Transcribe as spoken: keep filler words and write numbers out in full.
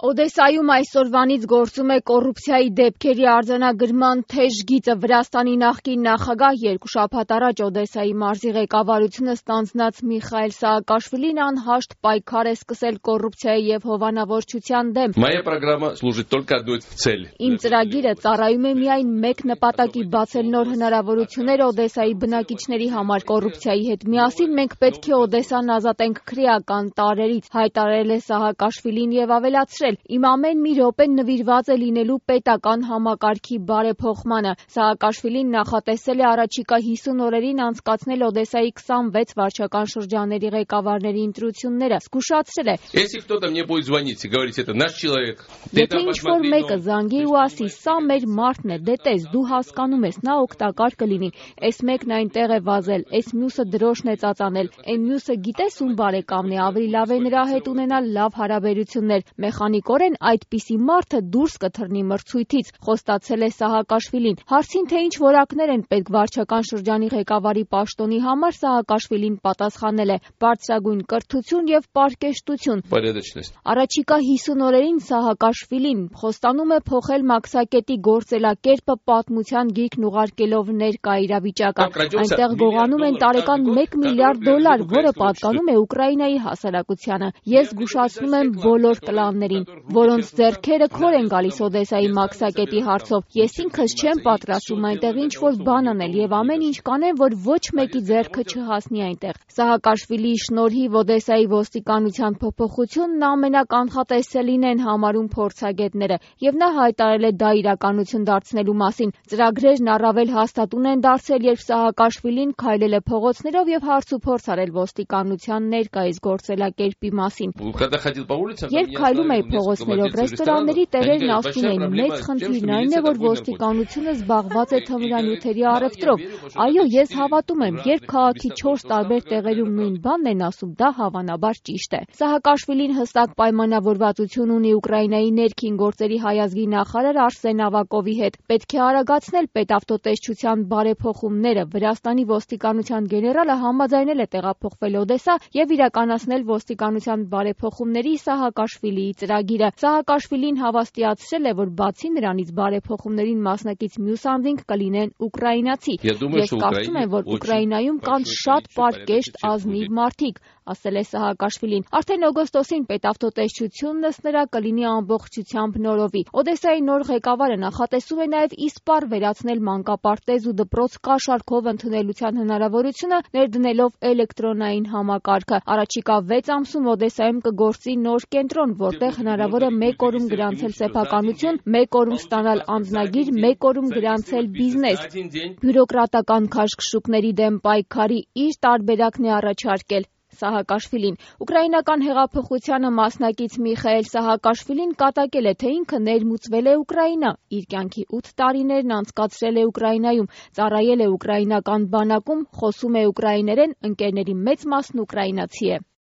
Օդեսայում այսօրվանից գործում է կոռուպցիայի դեպքերի արձանագրման թեժ գիծը։ Վրաստանի նախկին նախագահ երկու շաբաթ առաջ Օդեսայի մարզի ղեկավարությունը ստանձնած Միխայել Սաակաշվիլին անհաշտ պայքար է սկսել կոռուպցիայի և հովանավորչության դեմ։ Իմ ծրագիրը ծառայում է միայն մեկ նպատակի՝ բացել նոր հնարավորություններ Օդեսայի բնակիչների համար։ Կոռուպցիայի հետ միասին մենք պետք է Օդեսան ազատենք քրեական տարրերից, հայտարարել է Սաակաշվիլին և ավելացրել. Իմ ամեն մի րոպեն նվիրված է լինելու պետական համակարգի բարեփոխմանը։ Սաակաշվիլին նախատեսել է առաջիկա հիսուն օրերին անցկացնել Օդեսայի քսանվեց վարչական շրջանների ղեկավարների ընտրությունները։ Զգուշացրել է. Եթե ինչ-որ մեկը զանգի ու ասի՝ սա մեր մարդն է, դե տես, դու հասկանում ես, նա օգտակար կլինի, էս մեկն այնտեղ է վազել, էս մյուսը դրոշն է ծածանել, էն մյուսը գիտես ում բարեկամն է, ավելի լավ է նրա հետ ունենալ լավ հարաբերություններ, մեխանիկորեն այդպիսի մարդը դուրս կթռնի մրցույթից, խոստացել է Սահակաշվիլին։ Հարցին, թե ինչ որակներ են պետք վարչական շրջանի ղեկավարի պաշտոնի համար, Սահակաշվիլին պատասխանել է՝ բարձրագույն կրթություն և պարկեշտություն։ Առաջիկա հիսուն օրերին Սահակաշվիլին խոստանում է փոխել մաքսակետի գործելակերպը, պատմության գիրկն ուղարկելով ներկա իրավիճակը։ Այնտեղ գողանում են տարեկան մեկ միլիարդ դոլար, որը պատկանում է Ուկրաինայի հասարակությանը։ Ես զգուշացնում եմ բոլոր կլաններին, որոնց ձեռքերը քոր են գալիս Օդեսայի մաքսակետի հարցով։ Ես ինքս չեմ պատրաստվում այնտեղ ինչ-որ բան անել և ամեն ինչ կանեմ, որ ոչ մեկի ձեռքը չհասնի այնտեղ։ Սահակաշվիլիի շնորհիվ Օդեսայի ոստիկանության փոփոխությունն ամենականխատեսելին են համարում փորձագետները, և նա հայտարարել է դա իրականություն դարձնելու մասին։ Ծրագրերն առավել հաստատուն են դարձել, երբ Սահակաշվիլին քայլել է փողոցներով և հարցուփորձ արել ոստիկանության ներկայիս գործելակերպի մասին։ Երբ քայլում էի փողոցներով, ռեստորանների տերերն ասում էին՝ մեծ խնդիրն այն է, որ ոստիկանությունը զբաղված է թմրանյութերի առևտրով։ Այո, ես հավատում եմ, երբ քաղաքի չորս տարբեր տեղերում նույն բանն են ասում, դա հավանաբար ճիշտ է։ Սահակաշվիլին հստակ պայմանավորվածություն ունի Ուկրաինայի ներքին գործերի հայազգի նախարար Արսեն Ավակովի հետ։ Պետք է արագացնել պետավտոտեսչության բարեփոխումները։ Վրաստանի ոստիկանության գեներալը համաձայնել է տեղափոխվել Օդեսա և իրականացնել ոստիկանության բարեփոխումների Սահակաշվիլիի ծրագիրը։ Սահակաշվիլին հավաստիացրել է, որ բացի նրանից բարեփոխումներին մասնակից մյուս անձինք կլինեն ուկրաինացի։ Ես կարծում եմ, որ Ուկրաինայում կան շատ պարկեշտ, ազնիվ մարդիկ, ասել է Սահակաշվիլին։ Արդեն օգոստոսին պետավտոտեսչությունն ըստ նրա կլինի ամբողջությամբ նորովի։ Օդեսայի նոր ղեկավարը նախատեսում է նաև իսպառ վերացնել մանկապարտեզ ու դպրոց կաշառքով ընդունելության հնարավորությունը, ներդնելով էլեկտրոնային համակարգը։ Առաջիկա վեց ամսում Օդեսայում կգործի նոր կենտրոն, որտեղ հնարավոր է մեկ օրում գրանցել սեփականություն, մեկ օրում ստանալ անձնագիր, մեկ օրում գրանցել բիզնես։ Բյուրոկրատական քաշքշուկների դեմ պայքարի իր տարբերակն է առաջարկել Սահակաշվիլին։ Ուկրաինական հեղափոխությանը մասնակից Միխայել Սահակաշվիլին կատակել է, թե ինքը ներմուծվել է Ուկրաինա։ Իր կյանքի ութ տարիներն անցկացրել է Ուկրաինայում, ծառայել է ուկրաինական բանակում, խոսում է ուկրաիներեն, ընկերների մեծ մասն ուկրաինացի է։